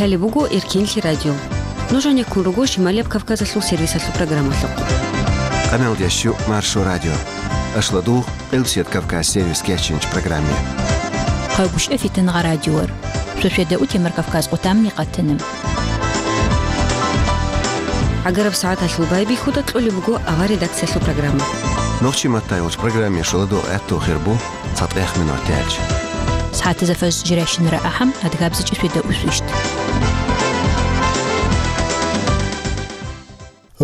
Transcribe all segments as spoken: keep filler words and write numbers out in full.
Лъалеб буго Эркенлъи радио. Нуж гьанеккун руго Шималияб Кавказалъул сервисалъул программалъухъ. Къамел ящу Маршо радио. Ашладугъ, Къилсият Кавказ сервис кечинч программе. Къагуш эфитан гъа радиор. Сосведа утемар Кавказ къутамни къатана. ГӀагараб сагӀаталъул байбихьуда кьолеб буго авар редакциялъул программа. Нохчи маттай вуч программе шуладугъ гӀатту хирбу. ЦатӀех минут тяч. СагӀатазда фаз жирайщинара ахӀам, адгабзичӀи светда усвищт.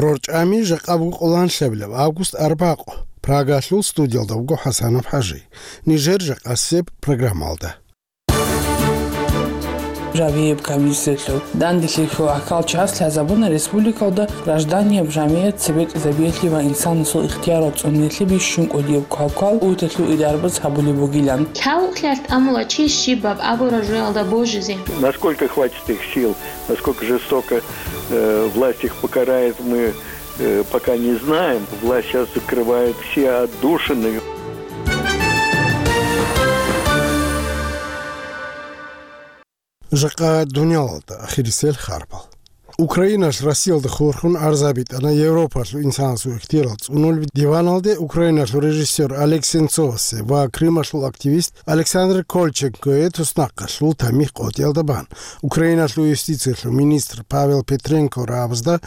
РорчӀами жакъа буго къоланлъабилаб август арбакъу. Прагалъул студиялда вуго ХӀасанов ХӀажи. Нижер жакъасеб программалда. Жавияб комиссиялъул данделъи хьул ахьал час лъазабуна республикалда гражданияб жамигӀат цебетӀизабиялъе ва инсанасул ихтиярал цӀунулъе бищун кӀудияб квалквал УТ-лъул идарбаз гьабулеб бугилан. Лъалукълъи тӀамула чи щибаб абураб жоялда божизе. Насколько хватит их сил, насколько жестоко, э, власть их покарает, мы, э, пока не знаем. Власть сейчас закрывает все отдушины. Жакъа дуниялалда ахирисел харбал. Украиналъ Россиялда хурхун арзабитӀана Европалъул инсанасул ихтиярал цӀунулеб диваналде Украиналъул режиссер Олег Сенцовасе ва Крымалъул активист Александр Кольченкое туснахъалъул тамихӀ къотӀиялда бан. Украиналъул юстициялъул министр Павел Петренко рагӀабазда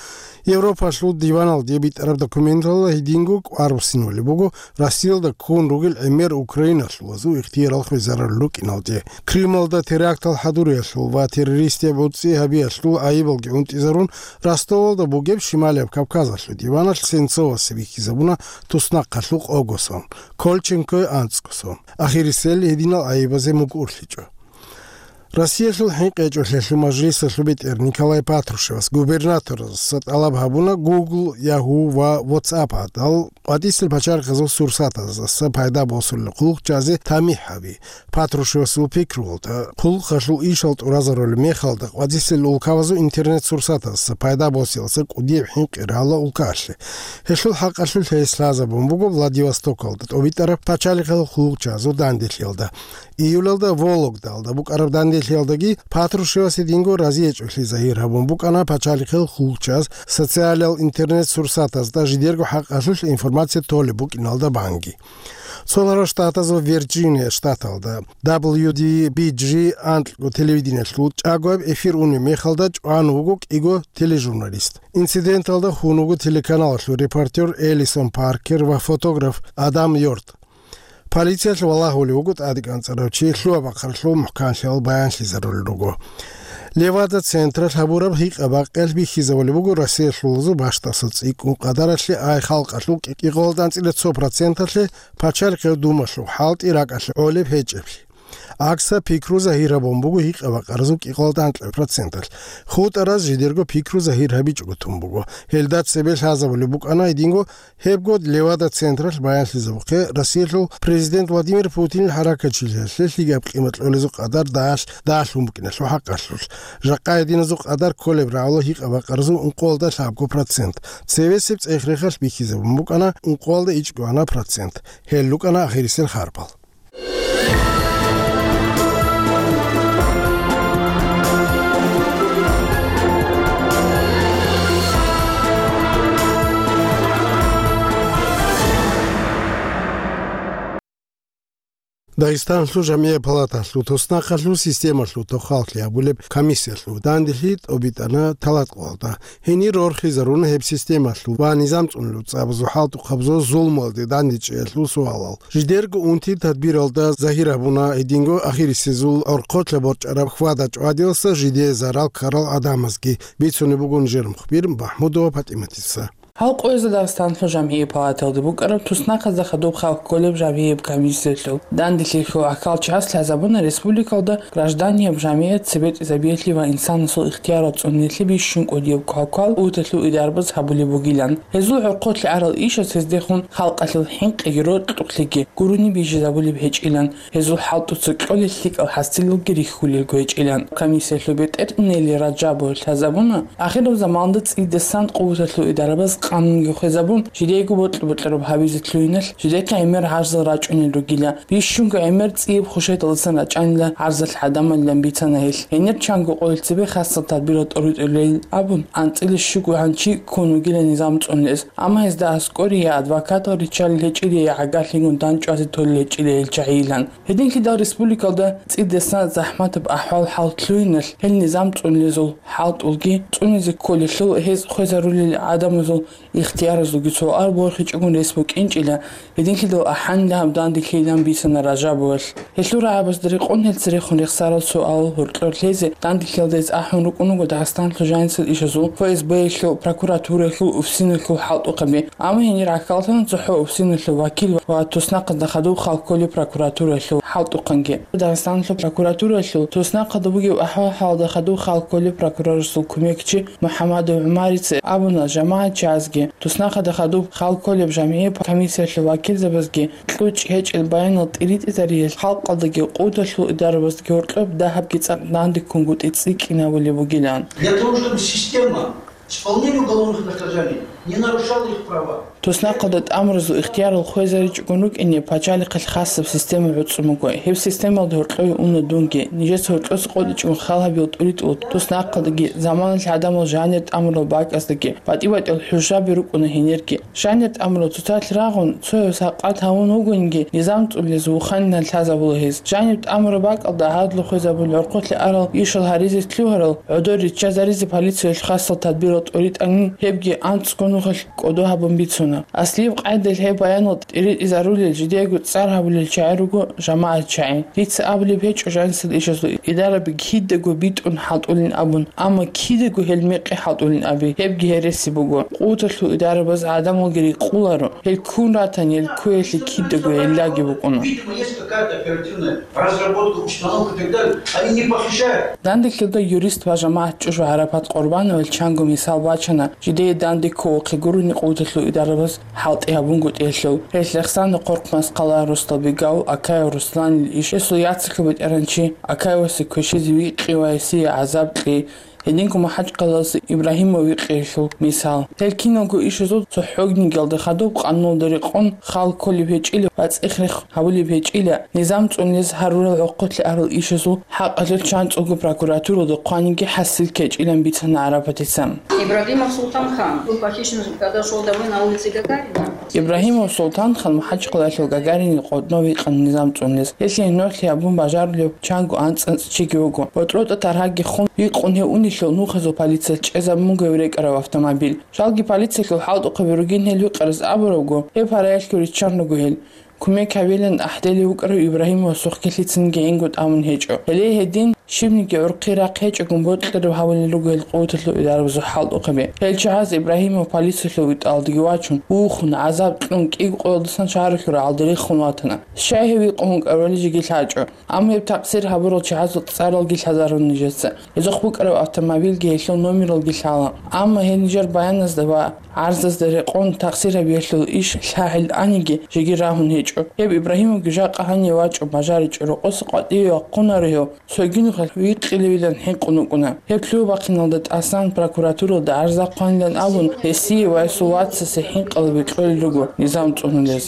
Европалъул диваналде битӀараб документалда гьединго кӀвар буссинулеб буго, Россиялда ккун ругел гӀемер украиналъулазул ихтиярал хвезарулел рукӀиналде. Крымалда терактал хӀадуриялъул ва террористияб гӀуцӀи гьабиялъул гӀайибалги унтӀизарун, Ростовалда бугеб Шималияб Кавказалъул диваналъ Сенцовасе бихьизабуна туснахъалъул къого сон, Кольченкое анцӀго сон. Ахирисел гьединал гӀайибазе мукӀурлъичӀо. Россиялъул ХӀинкъичӀолъиялъул мажлисалъул бетӀер Николай Патрушевас губернаторзаса тӀалаб гьабуна Google, Yahoo ва WhatsApp гьадал къватӀисел пачалихъазул сурсатаздаса пайда босулел хъулухъ чӀвазе тамихӀ гьаби. Патрушевасул пикруялда, хъулухъалъул ишал тӀуразарулеб мехалда къватӀисел улкабазул интернет-сурсатаздаса пайда босиялдаса кӀудияб хӀинкъи рагӀула улкаялъе. Гьелъул хӀакъалъулъ гьес лъазабун буго Владивостокалда тӀобитӀараб пачалихъал хъулухъ чӀвазул данделъиялда. Июлалда Вологдалда букӀараб данделъиялдаги Патрушевас гьединго разиячӀолъи загьир гьабун букӀана пачалихъал хъулухъ чӀваз социалал интернет-сурсатазда жидерго хӀакъалъулъ информация толеб букӀиналда банги. Цоларал Штатазул Вирджиния штаталда W D B G анкьго телевидениялъул чӀагояб эфир унеб мехалда чӀван вуго кӀиго тележурналист. Инциденталда хун вуго телеканалалъул репортер Элисон Паркер ва фотограф Адам Йорт. Полициялъ валагьулев вуго тӀадекӀанцӀарав чи, лъугьа-бахъаралъул мухӀканлъиялъ баянлъизарулел руго. Левада-централъ гьабураб гьикъа-бакъиялъ бихьизабулеб буго Россиялъулазул бащдабазул цӀикӀкӀун къадаралъе ай халкъалъул кӀикъоялда анцӀила цо проценталъе пачалихъ гьев думалъул хӀалтӀи ракӀалъе гӀолеб гьечӀеблъи. ГӀакса пикру загьир гьабун буго гьикъа-бакъаразул кӀикъоялда анкьаб проценталъ. ХутӀараз жидерго пикру загьир гьабичӀого тун буго. Гьелда цебе лъазабулеб букӀана гьединго Гьебго Левада-централъ баянлъизабухъе Россиялъул Президент Владимир Путинил хӀаракатчилъиялъе лъикӀаб къимат кьолезул къадар дагьалъ дагьлъун букӀиналъул хӀакъалъулъ. Жакъа гьединазул къадар кколеб рагӀула гьикъа-бакъаразул ункъоялда лъабго процент. Цевесеб цӀех-рехалъ бихьизабун букӀана ункъоялда ичӀго гьанаб процент. Гьел рукӀана ахирисел харбал. Дагъистанлъул жамгӀияб палаталъул туснахъалъул системалъул тохаллъи гьабулеб комиссиялъул данделъи тӀобитӀана Талаткъоялда. Гьенир рорхизаруна гьеб системалъул ва низам цӀунулел цӀабазул хӀалтӀухъабазул зулмуялде дандечӀеялъул суалал. Жидерго унти тадбиралда загьир гьабуна гьединго ахирисезул гӀорхъолъа борчӀараб хьвада-чӀвадиялдаса жидее зарал ккарал гӀадамазги, бицунеб буго нижер мухбир Махмудова ПатӀиматица. Гьал къоязда Дагъистанлъул жамгӀияб палаталда букӀараб туснахъазда хадуб халкъ кколеб жавгьияб комиссиялъул данделъи хьул ахьал час лъазабуна республикалда гражданияб жамигӀат цебетӀизабиялъе ва инсанасул ихтиярал цӀуниялъе бищун кӀудияб квалквал УТ-лъул идарбаз гьабулеб бугилан. Гьезул гӀорхъолъи гӀарал ишаз гьездехун халкъалъул хӀинкъиги рокьукълъиги гурони бижизабулеб гьечӀилан, гьезул хӀалтӀуца кьолел лъикӀал хӀасилалги рихьулелго гьечӀилан. Комиссиялъул бетӀер Нели Раджабова лъазабуна, ахираб заманалда цӀидасан къуваталъул идарабаз къанунги хвезабун, жидейго бокьа-бокьараб гьабизе лъугьиналъ, жидехъе гӀемер гӀарзал рачӀунел ругила. Бищунго гӀемер цӀияб хушайталдасан рачӀанила гӀарзалъ гӀадамалилан бицана гьелъ. Гьенир чанго къоялъ цебе хасал тадбирал тӀоритӀулел абун, анцӀила щуго гьанчи ккун вугила низам цӀунулес. Амма гьезда аскӀоре я адвокатал риччалел гьечӀила, я гӀагарлъигун дандчӀвазе толел гьечӀила гьел чагӀийилан. Гьединлъидал республикалда цӀидасан захӀматаб ахӀвал-хӀал лъугьиналъ, гьел низам цӀунулезул хӀалтӀулги цӀунизе кколелъул, гьез хвезарулел гӀадамазул ихтияразулги цо ар борхичӀогун рес букӀинчӀила, гьединлъидал ахӀанила гьаб данделъилан бицана Ражабовалъ. Гьелъул рагӀабазда рекъон гьел церехун рехсарал суал гьоркьор лъезе данделъиялда гьез ахӀун рукӀун руго Дагъистаналъул жанисел ишазул, ФСБ-ялъул, прокуратураялъул, УФСИН-алъул хӀалтӀухъаби. Амма гьенир гӀахьаллъана цохӀо УФСИН-алъул вакил ва туснахъазда хадуб хал кколеб прокуратураялъул хӀалтӀухъанги. Дагъистаналъул прокуратураялъул туснахъазда бугеб ахӀвал-хӀалалда хадуб хал кколеб прокурорасул кумекчи МухӀамадов ГӀумарица абуна, жамагӀатчиязги, туснахъазда хадуб хал кколеб жамгӀияб комиссиялъул вакилзабазги кьучӀ гьечӀел баянал тӀиритӀизариял халкъалдаги къуваталъул идарабаздаги гьоркьоб дагьабги цӀакъ данде ккунгутӀи цӀикӀкӀинабулеб бугилан. Для того, чтобы система исполнения уголовных наказаний не нарушала их права. Туснахъалда тӀамуразул ихтиярал хвезаричӀогун рукӀине пачалихъалъ хасаб система гӀуцӀун буго. Гьеб системалда гьоркьове уна дунги. Нижеца гьоркьоса къотӀичӀого хал гьабил тӀуритӀул туснахъалдаги, заманалъ гӀадамал жанир тӀамурал бакӀаздаги батӀи-батӀиял хӀужаби рукӀуна гьенирги. Жанир тӀамурал цоцалъ рагъун, цояв сакъат гьавун вугониги, низам цӀунулез вуханилан лъазабула гьез. Жаниб тӀамураб бакӀалда гӀадлу хвезабулел гӀорхъулъе арал ишал гьаризе лъугьарал гӀодор риччазаризе полициялъ хасал тадбирал тӀоритӀани, гьебги анцӀго нухалъ кӀодо гьабун бицуна. Аслияб къайдалъ гьеб баянал тӀиритӀизарулел, жидеего цӀар гьабулел чагӀи руго жамагӀат чагӀи. Дица абулеб гьечӀо жанисел ишазул идараби кидаго битӀун хӀалтӀулин абун, амма кидаго гьел мекъи хӀалтӀулин аби, гьебги гьереси буго. Къуваталъул идарабаз гӀадамалги рикъуларо, гьел ккун ратани, гьел ккуялъе кидаго гӀиллаги букӀуна. Видимо, есть какая-то оперативная разработка, установка и так далее. Они не похищают. Данделъилда юрист ва жамагӀат чӀужу ГӀарапат Къурбановил чанго мисал бачана, жидее данде кколухъе гурони къуваталъул идарабаз хӀалтӀи гьабунгутӀиялъул. Гьелъ рехсана Къоркъмас къала Русталбегав, Акаев Русланил иш, гьесул яцалъул бетӀергьанчи, Акаевасе квешизе викъи ва гьесие гӀазаб кьи, гьединго МахӀачкъалаялъул Ибрагьимов викъиялъул мисал. Гьел киналго ишазул цохӀогнигиялда хадуб къануналда рекъон хал кколеб гьечӀила ва цӀех-рех гьабулеб гьечӀила, низам цӀунулез гьарурал гӀорхъулъе арал ишазул хӀакъалъулъ чанцӀулго прокуратуралда хъваниги хӀасил ккечӀилан бицана ГӀарапатица. Ибрагимов Султан-хан был похищен, когда шел домой на улице Гагарина. Ибрагимов Султан-хан МахӀачкъалаялъул Гагаринил къотӀнов викъана низам цӀунулез. Гьелъие нугӀлъи гьабун бажарулев чанго анцӀ-анцӀ чиги вуго. БорчӀротӀа таргьаги хун, викъун гьев унелъул нухазул полицияс чӀезабун буго гьев рекӀараб автомобиль. Жалги полициялъул хӀалтӀухъаби ругин гьел викъарас абурабго, гьеб гьараялъго риччан руго гьел. Кумек гьабилан ахӀделев вукӀарав Ибрагьимовасухъги лъицаниги гӀингутӀамун гьечӀо. Гьеле гьедин щибниги гӀурхъи рахъ гьечӀогун бокьараб гьавулел руго гьел къуваталъул идарабазул хӀалтӀухъаби. Гьел чагӀаз Ибрагьимов полициялъул витӀалдаги вачун, вухун, гӀазаб кьун, кӀиго къоялдасан шагьаралъул рагӀалда рехун ватана. Щай гьев викъун вукӀарали жеги лъачӀо. Амма гьеб такъсир гьабурал чагӀазул цӀаралги лъазарун нижеца. Гьезухъ букӀараб автомобильги гьелъул номералги лъала. Амма гьел нижер баяназда ва гӀарзазда рекъон такъсир гьабиялъул иш лъагӀел аниги жеги рагьун гьечӀо. Гьеб Ибрагьимовги жакъа гьанив вачӀун бажаричӀо, рокъоса къватӀиве вахъунаро гьев, цоги нухалъ викъилевилан хӀинкъун вукӀуна. Гьеб лъугьа-бахъиналда тӀасан прокуратуралда гӀарза хъванилан абун, гьесие ва гьесул вацасе хӀинкъалаби кьолел руго низам цӀунулез.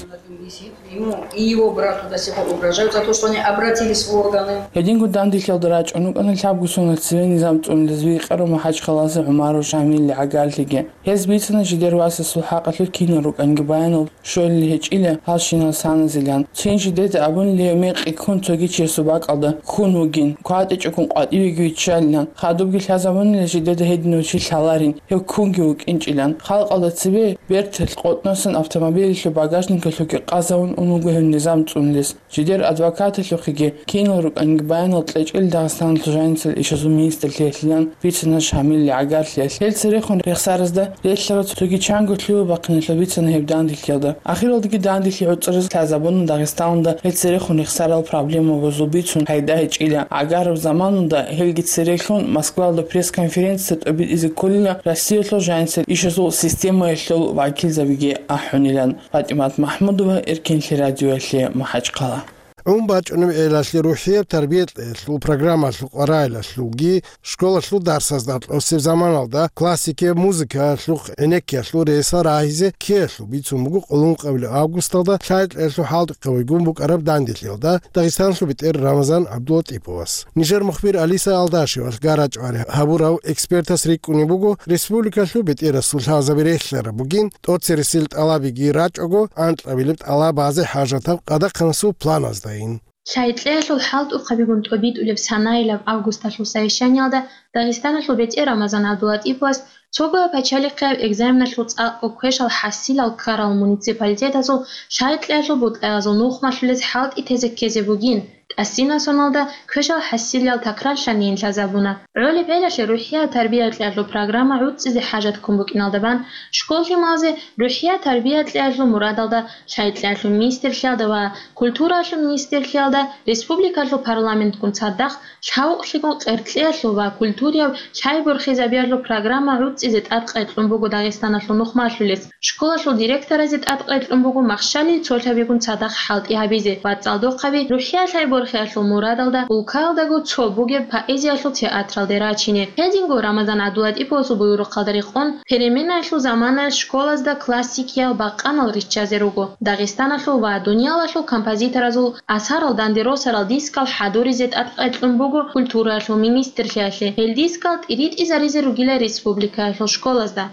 Ему и его брату до сих пор угрожают за то, что они обратились в органы. Гьединго данделъиялда рачӀун рукӀана лъабго соналъ цеве низам цӀунулез викъарав МахӀачкъалаялъул ГӀумаров Шамилил гӀагарлъиги. Гьез бицана жидер васасул хӀакъалъулъ кинал рукӀанги баянал щолел гьечӀила гьалщинал саназилан. Цин жидеда абунила гьев мекъи ккун цоги чиясул бакӀалда ккун вугин, кватӀичӀогун къватӀивеги виччалилан. Хадубги лъазабунила жидеда гьединав чи лъаларин, гьев ккунги вукӀинчӀилан. Халкъалда цебе берталъ къотӀносан автомобилялъул багажникалъухъги къазавун ун вуго гьев низам цӀунулес. Жидер адвокаталъухъеги кинал рукӀанги баянал кьечӀел Дагъистаналъул жанисел ишазул министрлъиялъилан бицана Шамилил гӀагарлъиялъ. Гьел церехун рехсаразда релълъарал цоги чанго лъугьа-бахъиналъул бицана гьеб данделъиялда. Ахиралдаги данделъи гӀуцӀараз лъазабуна Дагъистаналда гьел церехун рехсарал проблемабазул бицун пайда гьечӀила. ГӀагараб заманалда гьелги церехун Москваялда пресс-конференция тӀобитӀизе кколила Россиялъул жанисел ишазул системаялъул вакилзабиги ахӀунилан. ПатӀимат МахӀмудова, Эркенлъи радиоялъе, МахӀачкъала. Ун бачӀунеб гӀелалъе рухӀияб тарбия кьеялъул программалъул къваригӀелалъулги школалъул дарсазда кьосеб заманалда классикияб музыкаялъухъ гӀенеккиялъул ресал рагьизе ккеялъул бицун буго къуллукъабилеб августалда лъай кьеялъул хӀалтӀухъабигун букӀараб данделъиялда Дагъистаналъул бетӀер Рамазан ГӀабдулатӀиповас. Нижер мухбир Алиса Алдашевалъ гарачӀвари гьабурав экспертас рикӀкӀунеб буго, республикалъул бетӀерасул лъазаби релълъараб бугин, тӀоцересел тӀалабиги рачӀого, анкьабилеб тӀалабазе хӀажатаб къадахъанасул планаздайин. Лъай кьеялъул хӀалтӀухъабигун тӀобитӀулеб санаялъ августалъул совещаниялда Дагъистаналъул бетӀер Рамазан ГӀабдулатӀиповас цого пачалихъияб экзаменалъул цӀакъго квешал хӀасилал ккарал муниципалитетазул лъай кьеялъул бутӀаязул нухмалъулез хӀалтӀи тезе ккезе бугин, тӀасинасе соналда квешал хӀасилал такрарлъанин лъазабуна. ГӀолеб гӀелалъе рухӀияб тарбия кьеялъул программа гӀуцӀизе хӀажат ккун букӀиналда бан, школ-лъималазе рухӀияб тарбия кьеялъул мурадалда лъай кьеялъул министрлъиялда ва культуралъул министрлъиялда республикалъул парламентгун цадахъ лъавукълъигун къеркьеялъул ва культурияб лъай борхизабиялъул программа гӀуцӀизе тӀадкъекьун буго Дагъистаналъул нухмалъулез. Школалъул директоразе тӀадкъекьун буго махщалил цолъабигун цадахъ хӀалтӀи гьабизе ва цӀалдохъаби рухӀияб лъай борхиялъул мурадалда улкаялдаго цо бугеб поэзиялъул театралде рачине. Гьединго Рамазан ГӀабдулатӀиповасул буюрухъалда рекъон, переменаялъул заманаялъ школазда классикиял бакъанал риччазе руго. Дагъистаналъул ва дуниялалъул композиторазул асарал данде росарал дискал хӀадуризе тӀадкъекьун буго культураялъул министрлъиялъе. Гьел дискал тӀиритӀизаризе ругила республикаялъул школазда.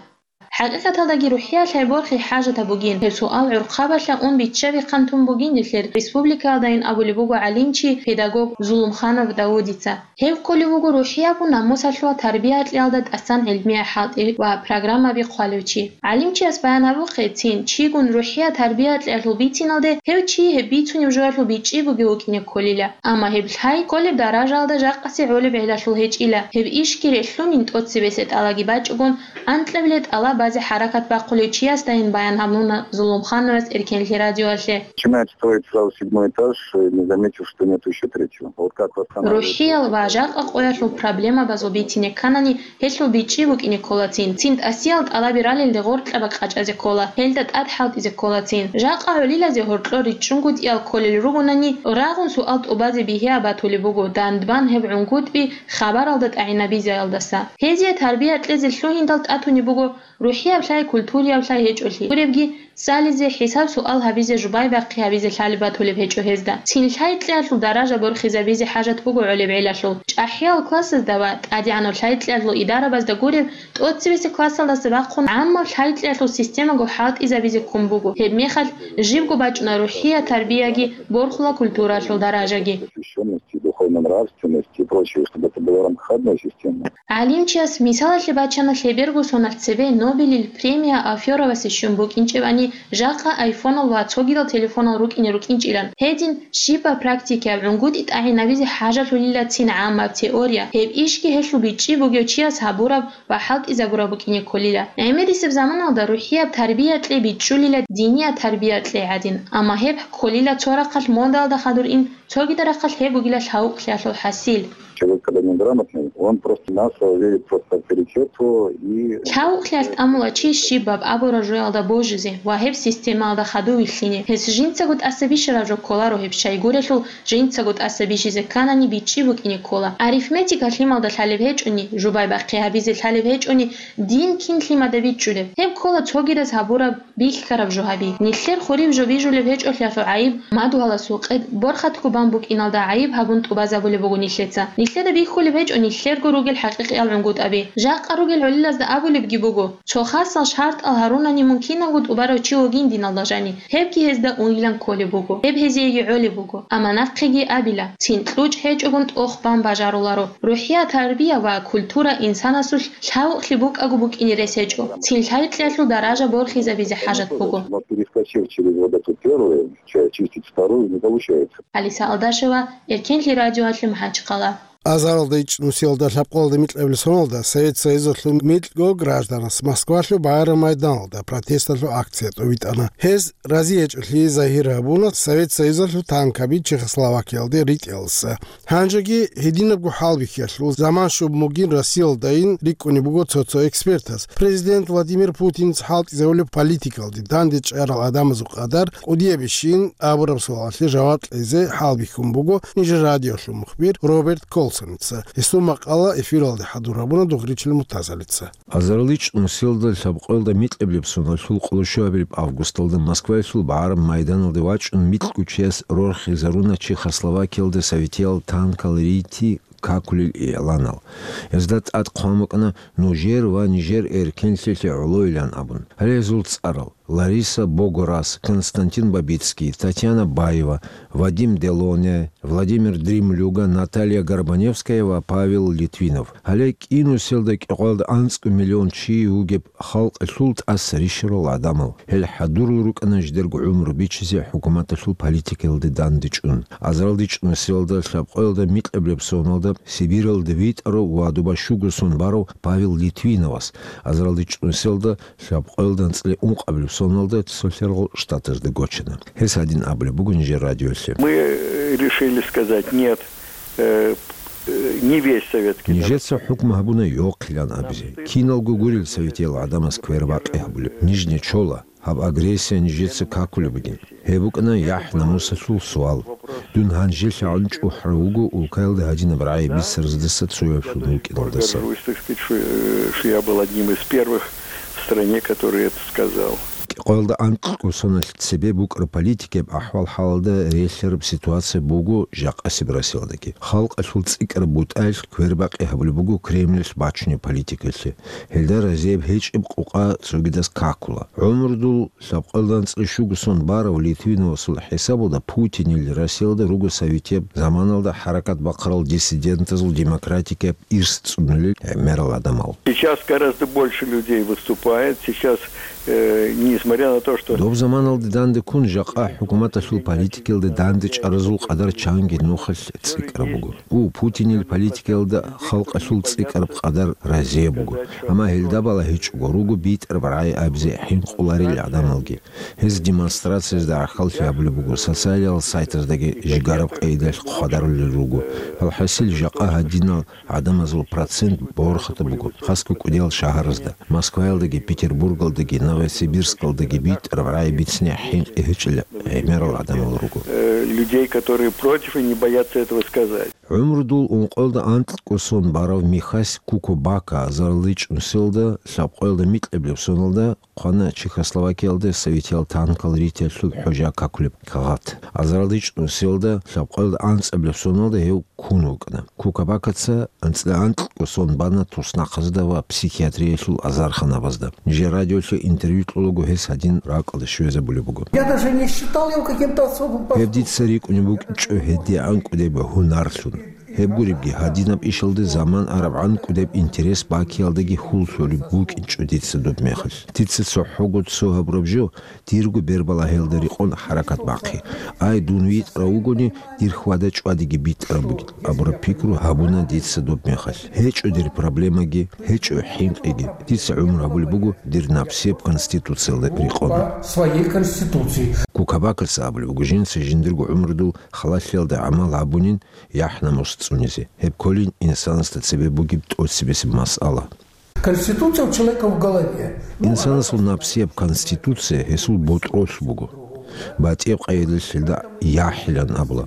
ХӀакъикъаталдаги рухӀиялъ борхи хӀажатаб бугин. Гьеб суал гӀурхъабалъа ун биччаби хъантун бугин нилъер республикаялдайин абулеб буго гӀалимчи, педагог Зулумханов Давудица. Гьев кколев вуго рухӀияб намусалъул тарбия кьеялда тӀасан гӀилмиял хӀалтӀи ва программаби хъвалев чи. ГӀалимчияс баян гьабухъе, цин чигун рухӀияб тарбия кьеялъул бициналде гьев чи гьеб бицунеб жоялъул бичӀчӀи бугев вукӀине кколила. Амма гьеб лъай кколеб даражаялда жакъасе гӀолеб гӀелалъул гьечӀила. Гьеб ишги релълъунин тӀоцебесеб тӀалабиги бачӀогон, анкьабилеб тӀалабазе хӀаракат бахъулев чиясдайин баян гьабуна Зулумхановас Эркенлъи радиоялъе. Начинает строить сразу седьмой этаж, э, не заметив, что нету ещё третьего. Вот как восстанавливать... РухӀиял ва жакъа къоялъул проблемабазул бицине кканани, гьелъул бичӀчӀи букӀине кколацин. Цин тӀасиял тӀалаби ралелде гъоркьаба къачӀазе ккола, гьелда тӀад хӀалтӀизе кколацин. Жакъа гӀолилазе гьоркьор риччунгутӀиял кколел ругонани, рагъун суал тӀубазе бигьияб батулеб буго, дандбан гьеб гӀунгутӀби хабаралда тӀагӀинабизеялдаса. Гьезие тарбия кьезе лъугьиндал тӀатунеб буго рухӀияб лъай, культурияб лъай гьечӀолъи. Гуребги, цӀализе, хӀисаб-суал гьабизе, жубай-бахъи гьабизе лъалеб батулеб гьечӀо гьезда. Цин лъай кьеялъул даража борхизабизе хӀажат буго гӀолеб гӀелалъул. ЧӀахӀиял классазда ва тӀадегӀанав лъай кьеялъул идарабазда гуреб, тӀоцебесеб классалдаса бахъун гӀаммаб лъай кьеялъул системаго хӀалтӀизабизе ккун буго. Гьебмехалъ жибго бачӀуна рухӀияб тарбияги борхула культуралъул даражаги. Посвящённость и духовно-нравственность и прочее, чтобы это было в рамках одной системы. ГӀалимчияс мисалалъе бачана лъеберго соналъ цебе Нобелил премия Афёровасе щун букӀинчӀебани, жакъа айфонал ва цогидал телефонал рукӀине рукӀинчӀилан. Гьедин, щибаб практикаяб гӀунгутӀи тӀагӀинабизе хӀажалъулила цин гӀаммаб теория. Гьеб ишги гьелъул бичӀчӀи бугев чияс гьабураб ва хӀалтӀизабураб букӀине кколила. ГӀемерисеб заманалда рухӀияб тарбия кьей бичӀчӀулила динияб тарбия кьей гӀадин, амма гьеб кколила цо рахъалъ модалда хадур ин, цогидал рахъалъ гьеб бугила лъавукълъиялъул хӀасил. Человек, когда неграмотный, он просто массово верит просто авторитету и... Лъавукълъиялъ тӀамула чи щибаб абураб жоялда божизе ва гьеб системаялда хадув вилълъине. Гьес жинцаго тӀаса бищараб жо кколаро гьеб щайгурелъул, жинцаго тӀаса бищизе кканани бичӀчӀи букӀине ккола. Арифметика лъималда лъалеб гьечӀони, жубай-бахъи гьабизе лъалеб гьечӀони, дин кин лъимада бичӀчӀулеб? Гьеб ккола цогидаз гьабураб бихьараб жо гьаби. Нилъер хурив жо бижулеб гьечӀолъиялъул гӀайиб, мадугьаласул къед борхатго бан букӀиналда гӀайиб гьабун тӀубазабулеб буго нилъеца. Нилъеда бихьулеб гьечӀо нилъерго ругел хӀакъикъиял гӀунгутӀаби. Жакъа ругел гӀолилазда абулебги буго, цо хасал шартӀал гьарунани мункинавго тӀубарав чи вугин диналда жаниб. Гьебги гьезда унгилан кколеб буго, гьеб гьезиеги гӀолеб буго. Амма нахъеги абила, цин кьучӀ гьечӀогун тӀох бан бажаруларо. РухӀияб тарбия ва культура инсанасулъ лъавукълъи букӀаго букӀине рес гьечӀо. Цин лъай кьеялъул даража борхизабизе хӀажат буго. Но перескочив через вот эту первую часть, чистить вторую не получается. Алиса Алдашева, Эркенлъи радиоялъе МахӀачхъала. Азаралда ичӀнусиялда лъабкъоялда микьабилеб соналда Совет Союзалъул микьго гражданас Москвалъул Байрам майданалда протесталъул акция тӀобитӀана. Гьез разиячӀолъи загьир гьабуна Совет Союзалъул танкаби Чехословакиялде ритӀиялдаса. Гьанжеги гьединабго хӀалбихьиялъул заман щуб мугин Россиялдайин рикӀкӀунеб буго цо-цо экспертас. Президент Владимир Путинца хӀалтӀизабулеб политикалде дандечӀарал гӀадамазул къадар кӀудиябищин абураб суалалъе жаваб кьезе хӀалбихьун буго нижер радиолъул мухбир Роберт Колсоница. Гьесул макъала эфиралде хӀадур гьабуна Дугъричил Муртазалица. Азарилчи нусиялда лъабкъоялда микьабилеб соналъул къоло щуабилеб августалда Москваялъул Байрам майданалде вачӀун микьго чияс рорхизаруна Чехословакиялда советиял танкал рити какулел игӀланал. Гьезда тӀад хъван букӀана нужер ва нижер эркенлъиялъе гӀолойилан абун. Гьале гьезул цӀарал: Лариса Богораз, Константин Бабицкий, Татьяна Баева, Вадим Делоне, Владимир Дремлюга, Наталья Горбаневская ва Павел Литвинов. Гьале кӀинусиялда кӀикъоялда анцӀго миллион чи вугеб халкъалъул тӀаса рищарал гӀадамал. Гьел хӀадурал рукӀана жидерго гӀумру бичизе хӀукуматалъул политикаялде дандечӀун. Азарилчи нусиялда лъабкъоялда микьабилеб соналда Сибиралде витӀарав ва дуба щуго сон барав Павел Литвиновас, азарилчи нусиялда лъабкъоялда анцӀила ункъабилеб соналда Цолъарал Штатазда гочана. Гьес гьадин абулеб буго нижер радиолъе. Мы решили сказать нет, э, э, не весь советский народ. Нижеца хӀукму гьабуна йохъилан абизе. Киналго гурел советиял гӀадамаз квербакъи гьабулеб. Ниж нечола. Гьаб агрессия нижеца какулеб бугин. Гьеб букӀана яхӀ-намусалъул суал. Дун гьанжелъагӀун чӀухӀарав вуго улкаялда гьадинаб рагӀи бицараздаса цояблъун вукӀиналдаса. Горжусь, так сказать, что, э, что я был одним из первых в стране, который это сказал. КӀикъоялда анкьго соналъ цебе букӀараб политикияб ахӀвал-хӀалалда релълъараб ситуация буго жакъасеб Россиялдаги. Халкъалъул цӀикӀкӀараб бутӀаялъ квербакъи гьабулеб буго Кремлалъ бачунеб политикалъе. Гьелда разияб гьечӀеб къукъа цогидаз какула. ГӀумрудул лъабкъоялда анцӀила щуго сон барав Литвиновасул хӀисабалда Путинил Россиялда руго советияб заманалда хӀаракат бахъарал диссидентазул демократикияб ирс цӀунулел гӀемерал гӀадамал. Сейчас гораздо больше людей выступает. Сейчас, э, несмотря на то, что... Доб заманалде дандеккун жакъа хӀукуматалъул политикаялде дандечӀаразул къадар чанги нухалъ цӀикӀкӀараб буго. У, Путинил политикаялда халкъалъул цӀикӀкӀараб къадар разияб буго. Амма гьелда балагьичӀого руго битӀараб рагӀи абизе хӀинкъуларел гӀадамалги. Гьез демонстрациязда гӀахьаллъи гьабулеб буго, социалиял сайтаздаги жигараб къайдалъ хъвадарулел руго. АлхӀасил, жакъа гьадинал гӀадамазул процент борхатаб буго, хасго кӀудиял шагьаразда. Москваялдаги, Петербургалдаги, Новосибирскалдаги битӀараб рагӀи бицине хӀинкъи гьечӀел гӀемерал гӀадамал руго. Э, людей, которые против и не боятся этого сказать. ГӀумрудул ункъоялда анкьго сон барав Михась Кукубака азарилчи нусиялда лъабкъоялда микьабилеб соналда хъвана Чехословакиялда советиял танкал ритиялъул хӀужа какулеб кагъат. Азарилчи нусиялда лъабкъоялда анцӀабилеб соналда гьев ккун вукӀана. Кукубакаца анцӀила анкьго сон бана туснахъазда ва психиатриялъул азарханабазда. Нижер радиолъе интервью кьолаго гьес гьадин ракӀалде щвезабулеб буго. Я даже не считал его каким-то особым поступком. Гьеб дица рикӀкӀунеб букӀинчӀо гьедигӀан кӀудеб гьунарлъун. Гьеб гуребги, гьадинаб ишалде заман арабгӀан кӀудеб интерес бакиялдаги хьул лъолеб букӀинчӀо дица доб мехалъ. Дица цохӀого цо гьабураб жо, дирго бербалагьиялда рекъон хӀаракат бахъи. Ай, дун витӀарав вугони, дир хьвада-чӀвадиги битӀараб бугин абураб пикру гьабуна дица доб мехалъ. ГьечӀо дир проблемаги, гьечӀо хӀинкъиги. Дица гӀумру гьабулеб буго дир напсияб конституциялда рекъон. По своей конституции. Кукубакаца абулеб буго жинца жиндирго гӀумрудул халалъиялда гӀамал гьабунин, яхӀ-намус цӀунизе. Гьеб кколин инсанасда цебе бугеб тӀоцебесеб масъала. Конституция у человека в голове. Инсанасул напсияб конституция гьесул ботӀролъ буго. БатӀияб къайдалъ гьелда яхӀилан абула.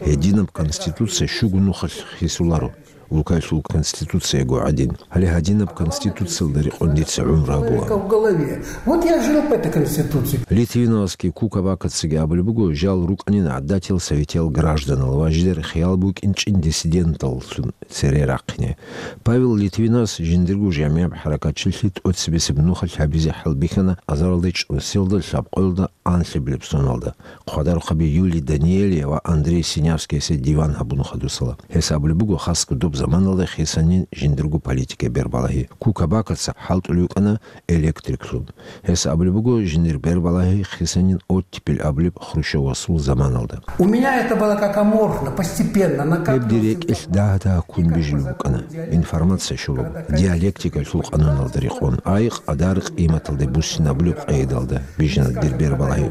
Гьединаб конституция щуго нухалъ хисуларо, улкалъул конституцияго гӀадин. Гьале гьадинаб конституциялда рекъон дица гӀумру гьабула. Человека в голове. Вот я жил по этой конституции. Литвиновасги Кукубакацаги абулеб буго, жал рукӀанин гӀадатиял советиял гражданал ва жидер хиял букӀинчӀин диссиденталлъун цере рахъине. Павел Литвиновас жиндирго жамигӀаб хӀаракатчилъи тӀоцебесеб нухалъ гьабизе хӀалбихьана азарилчи нусиялда лъабкъоялда анлъабилеб соналда, хъвадарухъаби Юлия Даниелия ва Андрей Синявскиясе диван гьабун хадусала. Гьес абулеб буго, хасго доб заманалда хисанин жиндирго политикаялъул бербалагьи. Кука Бакаца хӀалтӀулев вукӀана электриклъун. Гьес абулеб буго, жиндир бербалагьи хисанин оттепель абулеб Хрущевасул заманалда. У меня это было как аморфно, постепенно, на Гьеб дир рекӀелъ дагь-дагь ккун бижулеб букӀана. Информация щолеб, диалектикалъул къануналда рекъон, айкъ, къадар, къиматалде буссинабулеб къайдалда бижана дир бербалагьи.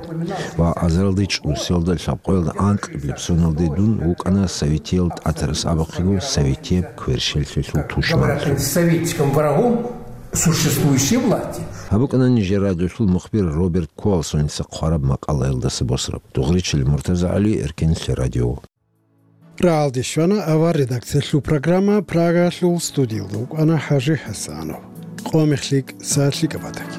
Ва азаралде чӀусиялда, лъабкъоялда анкьиблеб соналде дун вукӀана советиял тӀатарас абухъего советияб кверщеллъиялъул тушманлъун. Советским врагом существующей власти. Гьаб букӀана нижер радиолъул мухбир Роберт Куалсоница хъвараб макъалаялдаса босараб. Дугъричил МуртазагӀали, Эркенлъи радио. РагӀалде щвана авар редакциялъул программа, Прагалъул студиялда вукӀана ХӀажи ХӀасанов. Къо-мех лъикӀ, сагӀат лъикӀаб батаги.